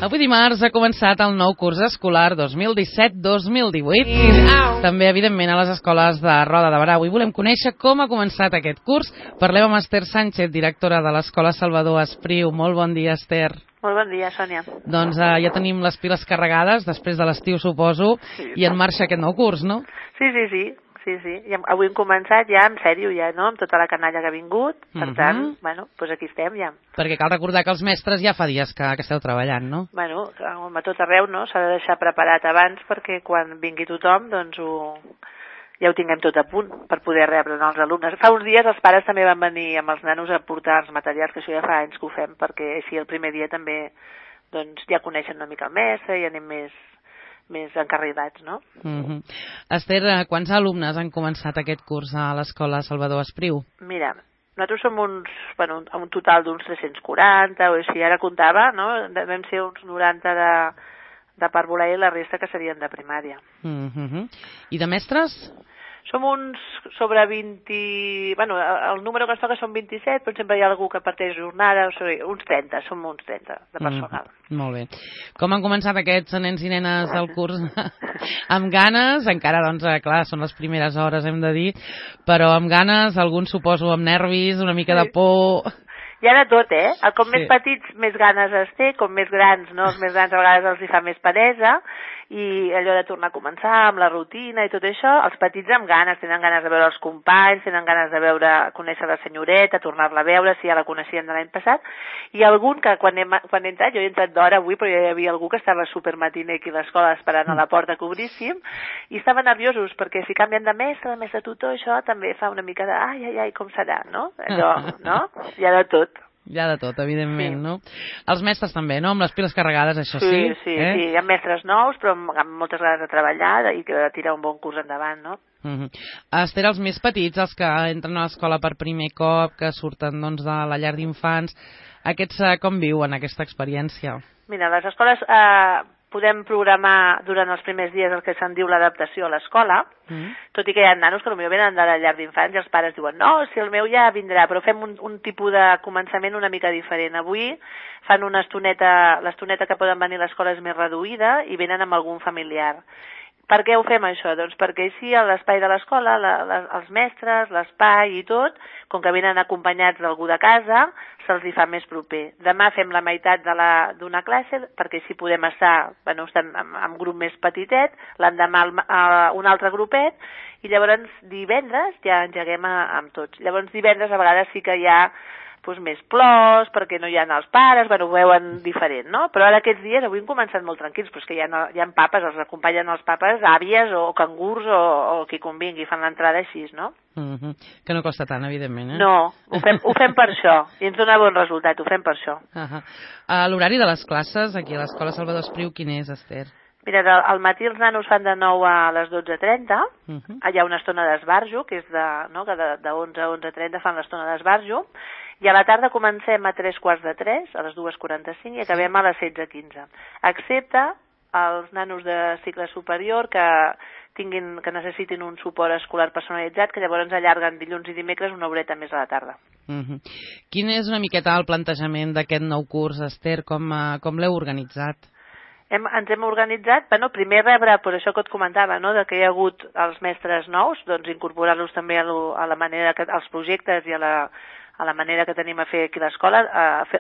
Avui dimarts ha començat el nou curs escolar 2017-2018. També, evidentment, a les escoles de Roda de Berà. Avui volem conèixer com ha començat aquest curs. Parlem amb Esther Sánchez, directora de l'Escola Salvador Espriu. Molt bon dia, Esther. Molt bon dia, Sònia. Doncs ja tenim les piles carregades, després de l'estiu, suposo, i en marxa aquest nou curs, no? Sí. I avui hem començat ja, en sèrio, ja, no?, amb tota la canalla que ha vingut. Per tant, bueno, doncs aquí estem ja. Perquè cal recordar que els mestres ja fa dies que esteu treballant, no? Bueno, a tot arreu, no?, s'ha de deixar preparat abans perquè quan vingui tothom, doncs ja ho tinguem tot a punt per poder rebre els alumnes. Fa uns dies els pares també van venir amb els nanos a portar els materials, que això ja fa anys que ho fem, perquè així el primer dia també doncs ja coneixen una mica el mestre i anem més encarrilats, no? Esther, quants alumnes han començat aquest curs a l'Escola Salvador Espriu? Mira, nosaltres som un total d'uns 340, o així, ara comptava, no? Vam ser uns 90 de parvulà i la resta que serien de primària. I de mestres? Som uns sobre 20... Bueno, el número que ens toca són 27, però sempre hi ha algú que parteix jornada, uns 30, som uns 30 de personal. Molt bé. Com han començat aquests nens i nenes del curs? Amb ganes, encara, doncs, clar, són les primeres hores, hem de dir, però amb ganes, alguns suposo amb nervis, una mica de por... Hi ha de tot, Com més petits, més ganes es té, com més grans, no? Els més grans a vegades els hi fa més peresa, i allò de tornar a començar amb la rutina i tot això, els petits amb ganes, tenen ganes de veure els companys, tenen ganes de conèixer la senyoreta, tornar-la a veure, si ja la coneixien de l'any passat, i algun que quan he entrat, jo he entrat d'hora avui, però ja hi havia algú que estava supermatiner aquí a l'escola esperant a la porta que obríssim, i estaven nerviosos, perquè si canvien de mestre tutor, això també fa una mica de ai, com serà, no? Allò, no? Hi ha de tot. Hi ha de tot, evidentment, no? Els mestres també, no? Amb les piles carregades, això sí? Sí, hi ha mestres nous, però amb moltes ganes de treballar i de tirar un bon curs endavant, no? Esther, els més petits, els que entren a l'escola per primer cop, que surten doncs de la llar d'infants, aquests com viuen aquesta experiència? Mira, les escoles podem programar durant els primers dies el que se'n diu l'adaptació a l'escola, tot i que hi ha nanos que potser venen de la llar d'infants i els pares diuen no, si el meu ja vindrà, però fem un tipus de començament una mica diferent. Avui fan una estoneta, l'estoneta que poden venir a l'escola és més reduïda i venen amb algun familiar. Per què ho fem això? Doncs perquè així a l'espai de l'escola, els mestres, l'espai i tot, com que venen acompanyats d'algú de casa, se'ls hi fa més proper. Demà fem la meitat d'una classe, perquè així podem estar en grup més petitet, l'endemà un altre grupet, i llavors divendres ja engeguem amb tots. Llavors divendres a vegades sí que hi ha més plors, perquè no hi ha els pares, ho veuen diferent, no? Però ara aquests dies avui hem començat molt tranquils, però és que hi ha papes, els acompanyen els papes, àvies o cangurs o qui convingui, fan l'entrada així, no? Que no costa tant, evidentment, No, ho fem per això, i ens dona bon resultat, ho fem per això. L'horari de les classes aquí a l'Escola Salvador Espriu, quin és, Esther? Mira, al matí els nanos fan de 9 a les 12:30, hi ha una estona d'esbarjo, que és de 11 a 11:30 fan l'estona d'esbarjo, i a la tarda comencem a 3:15, a les 2:45, i acabem a les 16:15. Excepte els nanos de cicle superior que necessitin un suport escolar personalitzat, que llavors allarguen dilluns i dimecres una horeta més a la tarda. Quin és una miqueta el plantejament d'aquest nou curs, Esther? Com l'heu organitzat? Ens hem organitzat, primer rebre, per això que et comentava, no?, de que hi ha hagut els mestres nous, doncs incorporar-los també a la manera als projectes i a la manera que tenim a fer aquí a l'escola,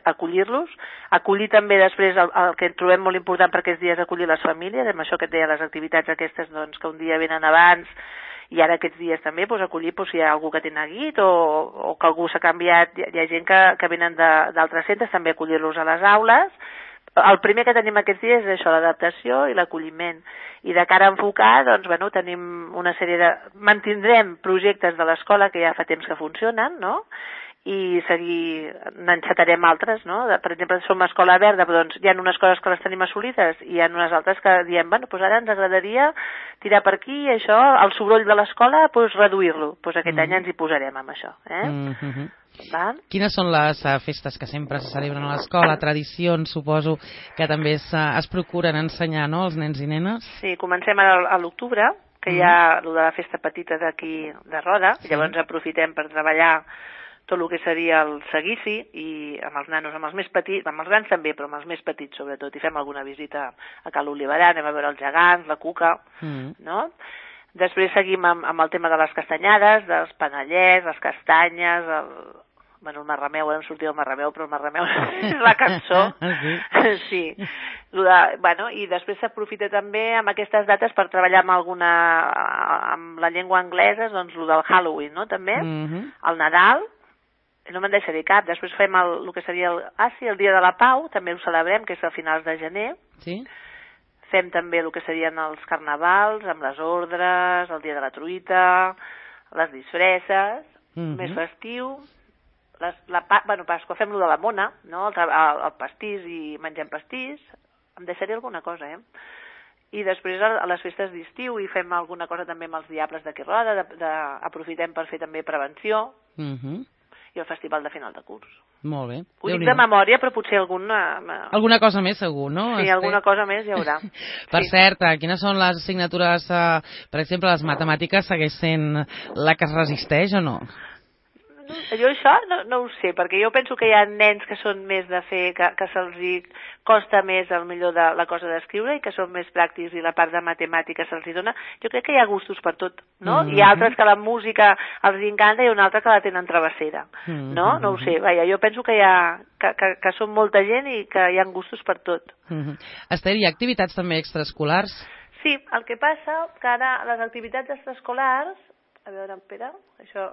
acollir-los, acollir també després el que trobem molt important per aquests dies, acollir les famílies, amb això que et deia, les activitats aquestes que un dia venen abans i ara aquests dies també, acollir si hi ha algú que té neguit o que algú s'ha canviat, hi ha gent que venen d'altres centres, també acollir-los a les aules. El primer que tenim aquests dies és això, l'adaptació i l'acolliment. I de cara a enfocar, tenim una sèrie de... Mantindrem projectes de l'escola que ja fa temps que funcionen, no?, i n'encetarem altres, no? Per exemple, som Escola Verda, però hi ha unes coses que les tenim assolides i hi ha unes altres que diem, ara ens agradaria tirar per aquí, això, el soroll de l'escola, reduir-lo. Aquest any ens hi posarem amb això. Quines són les festes que sempre se celebren a l'escola, tradicions, suposo, que també es procuren ensenyar, no?, als nens i nenes? Sí, comencem a l'octubre, que hi ha el de la festa petita d'aquí de Roda, llavors aprofitem per treballar tot el que seria el seguici, i amb els nanos, amb els més petits, amb els grans també, però amb els més petits sobretot, i fem alguna visita a Cal Oliverar, anem a veure els gegants, la cuca, no? Després seguim amb el tema de les castanyades, dels panellets, les castanyes, el marrameu, ara em sortia el marrameu, però el marrameu és la cançó. Sí. I després s'aprofita també amb aquestes dates per treballar amb la llengua anglesa, doncs el del Halloween, no?, també, el Nadal, no me'n deixaré cap. Després fem el que seria el Dia de la Pau, també ho celebrem, que és a finals de gener. Sí. Fem també el que serien els carnavals, amb les ordres, el Dia de la Truita, les disfresses, més festiu. Pasqua fem lo de la mona, no? El pastís, i mengem pastís. Em deixaré alguna cosa, I després a les festes d'estiu hi fem alguna cosa també amb els diables d'aquí roda, aprofitem per fer també prevenció, i el festival de final de curs. Molt bé. Ho dic de memòria, però potser alguna cosa més segur, no? Sí, alguna cosa més hi haurà. Per cert, quines són les assignatures, per exemple, les matemàtiques segueix sent la que es resisteix o no? Jo això no ho sé, perquè jo penso que hi ha nens que són més de fer, que se'ls costa més millor de la cosa d'escriure, i que són més pràctics, i la part de matemàtiques se'ls dona. Jo crec que hi ha gustos per tot, no? Hi ha altres que la música els encanta i una altra que la tenen travessera, no? No ho sé, jo penso que que són molta gent i que hi ha gustos per tot. Esther, hi ha activitats també extraescolars? Sí, el que passa que ara les activitats extraescolars, a veure, espera, això...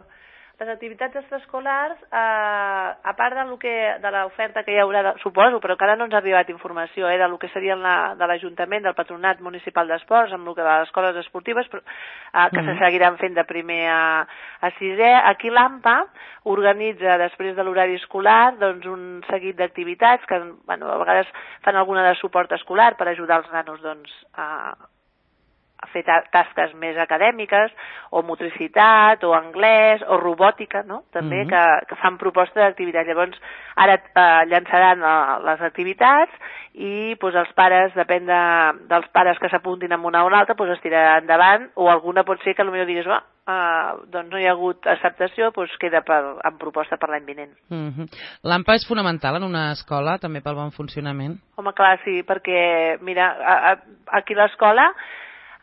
Les activitats extraescolars, a part de l'oferta que hi haurà, suposo, però que ara no ens ha arribat informació, del que seria de l'Ajuntament, del Patronat Municipal d'Esports, amb el que de les escoles esportives, que se seguiran fent de primer a sisè. Aquí l'AMPA organitza, després de l'horari escolar, doncs un seguit d'activitats que, a vegades fan alguna de suport escolar per ajudar els nanos, a fer tasques més acadèmiques, o motricitat, o anglès, o robòtica, no?, també, que fan proposta d'activitats. Llavors, ara llançaran les activitats, i els pares, depèn dels pares que s'apuntin en una o una altra, es tirarà endavant, o alguna pot ser que potser diguis, doncs no hi ha hagut acceptació, queda en proposta per l'any vinent. L'AMPA és fonamental en una escola, també pel bon funcionament? Home, clar, sí, perquè, mira, aquí a l'escola,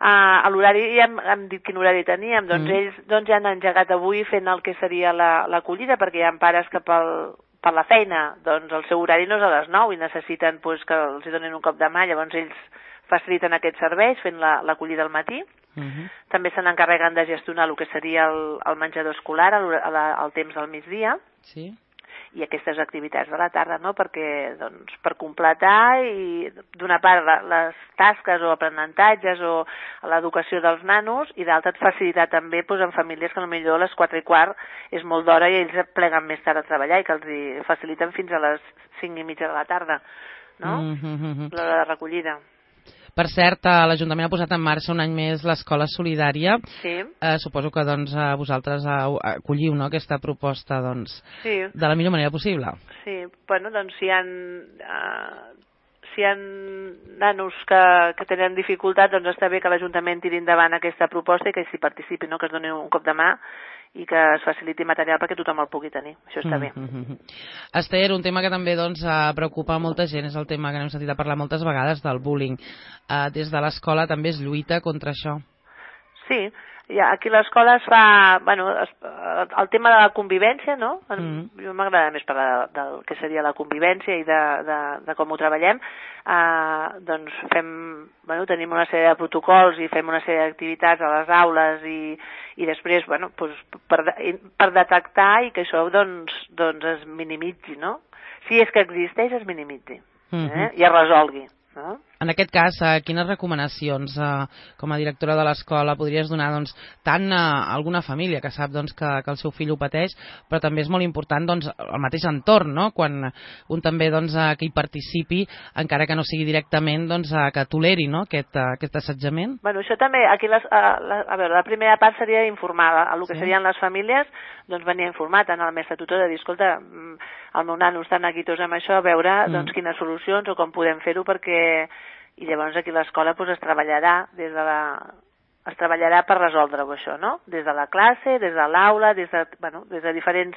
a l'horari ja hem dit quin horari teníem, doncs ells ja han engegat avui fent el que seria l'acollida, perquè hi ha pares que per la feina, doncs el seu horari no és a les 9 i necessiten que els donin un cop de mà, llavors ells faciliten aquests serveis fent l'acollida al matí. També se n'encarreguen de gestionar el que seria el menjador escolar al temps del migdia. Sí. I aquestes activitats de la tarda, no?, perquè, doncs, per completar i d'una part les tasques o aprenentatges o l'educació dels nanos, i d'altra facilitar també en famílies que potser a les 4:15 és molt d'hora i ells pleguen més tard a treballar, i que els faciliten fins a les 5:30 de la tarda, no?, l'hora de recollida. Per cert, l'Ajuntament ha posat en marxa un any més l'Escola Solidària. Sí. Suposo que vosaltres acolliu aquesta proposta de la millor manera possible. Sí, doncs si hi ha nanos que tenen dificultat, doncs està bé que l'Ajuntament tiri endavant aquesta proposta i que s'hi participi, que es doni un cop de mà i que es faciliti material perquè tothom el pugui tenir. Això està bé. Esther, un tema que també preocupa molta gent és el tema que n'hem sentit a parlar moltes vegades del bullying. Des de l'escola també es lluita contra això. Sí, aquí a l'escola es fa el tema de la convivència, no? Jo m'agrada més parlar del que seria la convivència i de com ho treballem. Doncs tenim una sèrie de protocols i fem una sèrie d'activitats a les aules i després per detectar i que això es minimitzi, no? Si és que existeix, es minimitzi i es resolgui. En aquest cas, quines recomanacions com a directora de l'escola podries donar tant a alguna família que sap que el seu fill ho pateix, però també és molt important el mateix entorn, no? Quan un també que hi participi, encara que no sigui directament, que toleri aquest assetjament? Això també, aquí la primera part seria informar, el que serien les famílies, venir a informar tant al mestre tutor de dir, escolta, el meu nano està neguitós amb això, a veure quines solucions o com podem fer-ho, perquè i llavors aquí a l'escola es treballarà des de es treballarà per resoldre-ho això, no? Des de la classe, des de l'aula, des de diferents...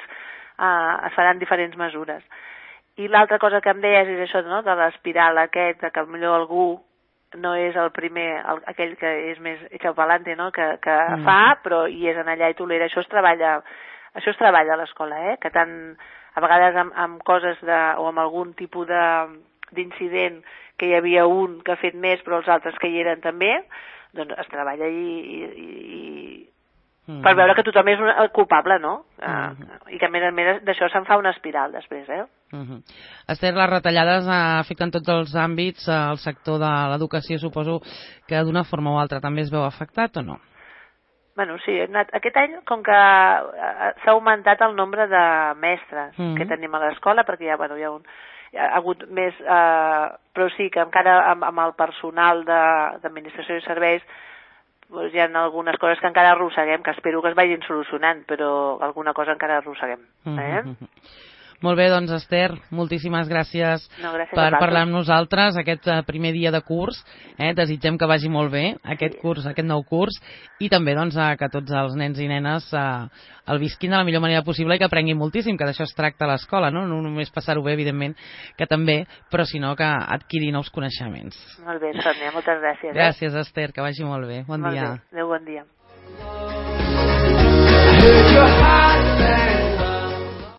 es faran diferents mesures. I l'altra cosa que em deies és això, no?, de l'espiral aquest, que potser algú no és el primer, aquell que és més echapalante, no?, que fa, però hi és en allà i tolera. Això es treballa a l'escola, que tant a vegades amb coses o amb algun tipus d'incident que hi havia un que ha fet més però els altres que hi eren també, doncs es treballa per veure que tothom és culpable, no? I que a més d'això se'n fa una espiral després, Esther, les retallades afecten tots els àmbits, el sector de l'educació suposo que d'una forma o altra també es veu afectat o no? Bueno, sí, aquest any, com que s'ha augmentat el nombre de mestres que tenim a l'escola, perquè hi ha hagut més, però sí que encara amb el personal d'administració i serveis hi ha algunes coses que encara arrosseguem, que espero que es vagin solucionant, però alguna cosa encara arrosseguem. Molt bé, doncs Esther, moltíssimes gràcies per parlar amb nosaltres aquest primer dia de curs. Desitgem que vagi molt bé aquest nou curs, i també doncs, que tots els nens i nenes el visquin de la millor manera possible i que aprenguin moltíssim, que d'això es tracta a l'escola, no només passar-ho bé, evidentment, que també, però sinó que adquirir nous coneixements. Molt bé, Sònia, moltes gràcies. Gràcies, Esther, que vagi molt bé. Bon dia. Adéu, bon dia.